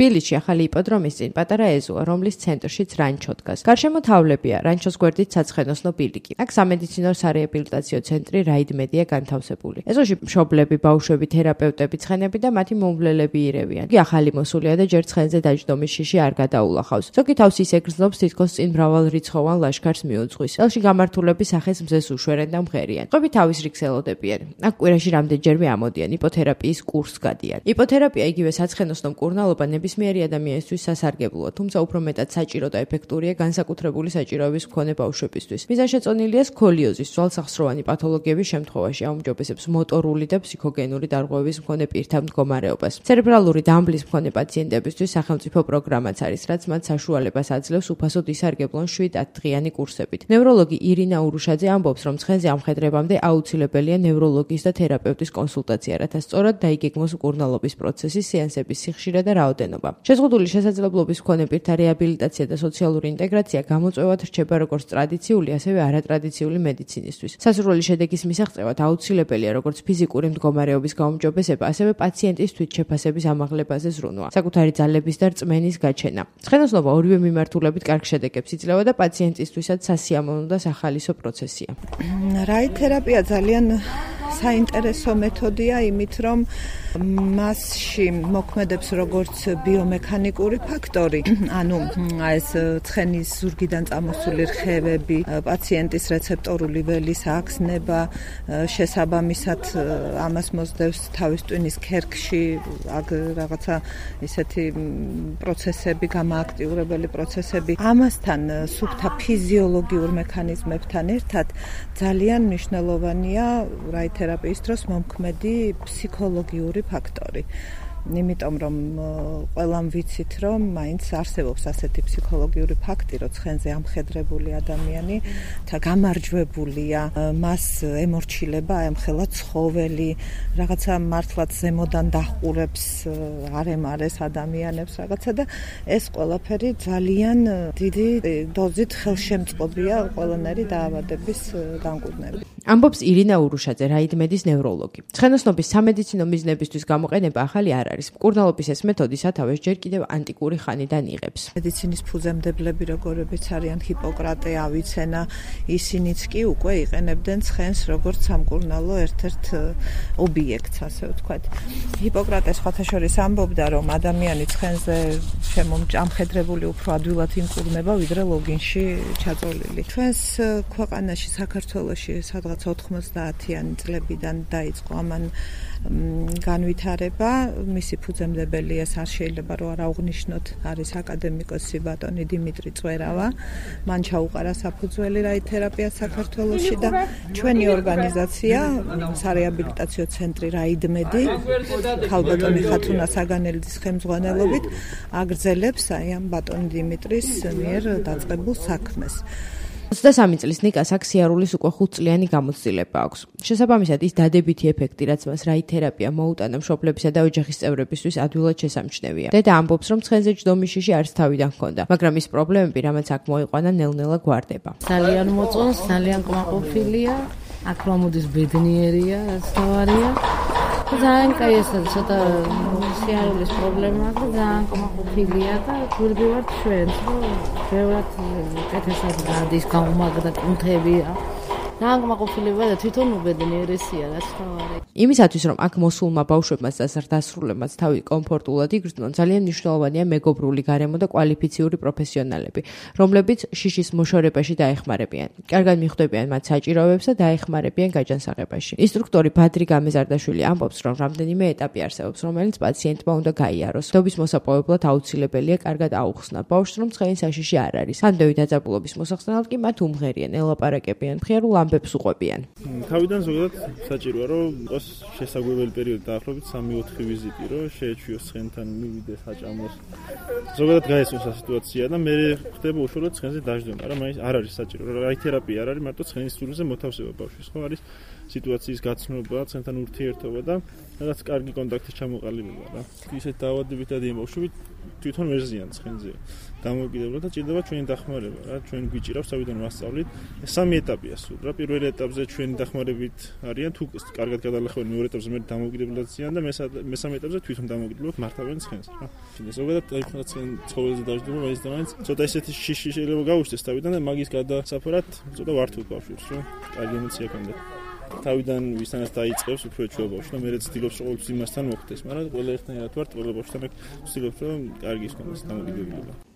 თბილისში ახალი იპოდრომის წინ პატარა ეზოა, რომლის ცენტრშიც რანჩო დგას. გარშემო თავლებია, რანჩოს გვერდით საცხენოსნო ბილიკი. აქ სამედიცინო სარეაბილიტაციო ცენტრი რაიდმედია განთავსებული. ეზოში მშობლები, ბავშვები, თერაპევტები, ცხენები და მათი მომვლელები ირევიან. იგი ახალი მოსულია და ჯერ ცხენზე დაჯდომის შიში არ გადაულახავს. ზოგი თავს ის ეგრძნობს თითქოს წინ მრავალრიცხოვან ლაშქარს მიუძღვის. ელში გამართულები სახეს მზეს უშვერენ და მღერიან. ყვები თავის რიგს ელოდებიან. აქ კვირაში რამდენჯერმე ამოდიან, იპოთერაპიის კურსს გადიან. იპოთერაპია იგივე საცხენოსნო მკურნალობა ნებისმიერი ადამიანისთვის სასარგებლოა, თუმცა უფრო მეტად საჭირო და ეფექტურია განსაკუთრებული საჭიროების მქონე ბავშვებისთვის. მიზანშეწონილია სქოლიოზის, ძვალსახსროვანი პათოლოგიების შემთხვევაში აუმჯობესებს მოტორული და ფსიქოგენური დარღვევების მქონე პირთა მდგომარეობას. ცერებრალური დამბლის მქონე პაციენტებისთვის სახელმწიფო პროგრამაც არის, რაც მათ საშუალებას აძლევს უფასოდ ისარგებლონ 7-10 დღიანი კურსებით. ნევროლოგი ირინა ურუშაძე ამბობს, რომ ცხენზე ამხედრებამდე აუცილებელია ნევროლოგის და თერაპევტის კონსულტაცია, რათა სწორად დაიგეგმოს მკურნალობის პროცესის სეანსების სიხშირე და რაოდენობა. შეზღუდული შესაძლებლობის მქონე პირთა რეაბილიტაცია და სოციალური ინტეგრაცია გამოწვევად რჩება როგორც ტრადიციული, ასევე არატრადიციული მედიცინისთვის. სასურველი შედეგის მისაღწევად აუცილებელია როგორც ფიზიკური მდგომარეობის გაუმჯობესება, ასევე პაციენტის თვითშეფასების ამაღლებაზე ზრუნვა, საკუთარი ძალების და რწმენის გაჩენა. ცხენოსნობა ორივე მიმართულებით კარგ შედეგებს იძლევა და პაციენტისთვისაც სასიამოვნო და სახალისო პროცესია. რაიდთერაპია ძალიან საინტერესო მეთოდია, იმით რომ მასში მოქმედებს როგორც ბიომექანიკური ფაქტორი, ანუ ეს ცხენის ზურგიდან წამოსული რხევები, პაციენტის რეცეპტორული ველის აღგზნება, შესაბამისად ამას მოსდევს თავის ტვინის ქერქში რაღაცა ისეთი პროცესები, გამოაქტიურებელი პროცესები. ამასთან სუფთა ფიზიოლოგიურ მექანიზმებთან ერთად ძალიან მნიშვნელოვანია რაიდთერაპიის დროს მომქმედი ფსიქოლოგიური ფაქტორი. იმიტომ რომ ყველამ ვიცით რომ მაინც არსებობს ასეთი ფსიქოლოგიური ფაქტი, რომ ცხენზე ამხედრებული ადამიანი და გამარჯვებულია, მას ემორჩილება ემხელა ცხოველი, რაღაცა მართლაც ზემოდან დაჰყურებს არემარეს ადამიანებს რაღაცა და ეს ყველაფერი ძალიან დიდი დოზით ხელშემწყობია ყველანაირი დაავადების განკურნებით. ამბობს ირინა ურუშაძე, რაიდმედის ნევროლოგი. ცხენოსნობის სამედიცინო მიზნებისთვის გამოყენება ახალი არ არის. მკურნალობის ეს მეთოდი სათავეს ჯერ კიდევ ანტიკური ხანიდან იღებს. მედიცინის ფუძემდებლები როგორებიც არიან ჰიპოკრატე, ავიცენა, ისინიც კი უკვე იყენებდნენ ცხენს როგორც სამკურნალო ერთ-ერთ ობიექტს, ასე ვთქვათ. ჰიპოკრატე სხვათა შორის ამბობდა, რომ ადამიანი ცხენზე ამხედრებული უფრო ადვილად იმკურნება, ვიდრე ლოგინში ჩაწოლილი. ჩვენს ქვეყანაში, საქართველოში სადღაც 90-იანი წლებიდან დაიწყო ამან განვითარება. მისი ფუძემდებელი ეს არ შეიძლება რომ არ აღვნიშნოთ, არის აკადემიკოსი ბატონი დიმიტრი წვერავა. მან ჩაუყარა საფუძველი რაიდთერაპია საქართველოში და ჩვენი ორგანიზაცია სარეაბილიტაციო ცენტრი რაიდმედი ქალბატონი ხათუნა საგანელიძის ხელმძღვანელობით აგრძელებს აი ამ ბატონ დიმიტრის მიერ დაწყებულ საქმეს. 23 წლის ნიკას აქ სიარულის უკვე 5 წლიანი გამოცდილება აქვს. შესაბამისად ის დადებითი ეფექტი, რაც მას რაიდთერაპია მოუტანა მშობლებისა და ოჯახის წევრებისთვის ადვილად შესამჩნევია. დედა ამბობს, რომ ცხენზე ჯდომის შიში არც თავიდან ჰქონდა, მაგრამ ის პრობლემები, რამაც აქ მოიყვანა, ნელ-ნელა გვარდება. ძალიან მოწონს, ძალიან კმაყოფილია, აქ რომ მოდის ბედნიერია, რაც თავარია. ძალიან კაი ეს ცოტა სიარულის პრობლემა აქვს და ძალიან კმაყოფილია და გვერდი ვართ ჩვენს, რომ ბევრად კეთესად გადის, გაუმაგრდა კუნთებია. ძალიან კმაყოფილება და თვითონ უბედნიერესია, რაც თავარია. იმისათვის, რომ აქ მოსულმა ბავშვებმაც და დასრულებმაც თავი კომფორტულად იგრძნონ, ძალიან მნიშვნელოვანია მეგობრული გარემო და კვალიფიციური პროფესიონალები, რომლებიც შიშის მოშორებაში დაეხმარებიან. კარგად მიხვდებიან მათ საჭიროებებს და დაეხმარებიან გაჯანსაღებაში. ინსტრუქტორი ბადრი გამეზარდაშვილი ამბობს, რომ რამდენიმე ეტაპი არსებობს, რომელიც პაციენტმა უნდა გაიაროს. დობის მოსაპოვებლად აუცილებელია კარგად აუხსნა ბავშვს, რომ ცხენი საშიში არ არის. ამდევი დაძაბულობის მოსახსნელად კი მათ უმღერიან, ელაპარაკებიან, მხიარულ ამბებს უყვებიან. თავიდან ზოგადად საჭიროა, რომ იყოს შესაძლებელი პერიოდი დაახლოებით 3-4 ვიზიტი, რომ შეეჩვიოს ცხენთან, მივიდეს, აჭამოს. ზოგადად გაესწროს სიტუაცია და მე ხდება უშუალოდ ცხენზე დაждდომა, მაგრამ მაინც არ არის საჭირო. რაიდთერაპია არ არის მარტო ცხენის სულიზე მოთავსება ბავშვის, ხო არის სიტუაციის გაცნობა, ცხენთან ურთიერთობა და რაღაც კარგი კონტაქტის ჩამოყალიბება რა. ისეთ დაავადებებით და ბავშვები თვითონ ვერ ზიან ცხენზე. დამოუკიდებლად და ჭირდება ჩვენი დახმარება რა, ჩვენ გვიჭირავს თავიდან ვასწავლით. 3 ეტაპია სულ რა. პირველ ეტაპზე ჩვენი დახმარებით არიან, თუ კარგად გადალახავენ მეორე ეტაპზე მე დამოუკიდებლად ზიან და მესამე ეტაპზე თვითონ დამოუკიდებლად მართავენ ცხენს, რა. ზოგადად დაიხმარა ცხენ ცხოველზე დაждდება, მაინც და მაინც ცოტა ისეთი შიში შეიძლება გაუჩნდეს თავიდან და მაგის გადასაფრად ცოტა ვართულ ბავშვებს, რა. კარგი ემოცია ჰქონდა. თავიდან ვისთანაც დაიწყებს უფრო ჩვეულ ბავშვს და მე ცდილობს ყოველთვის იმასთან მოხდეს, მაგრამ ყველა ერთნაირად ვართ, ყველა ბავშვთან ვცდილობ რომ კარგი ისქონდეს დამოკიდებულება.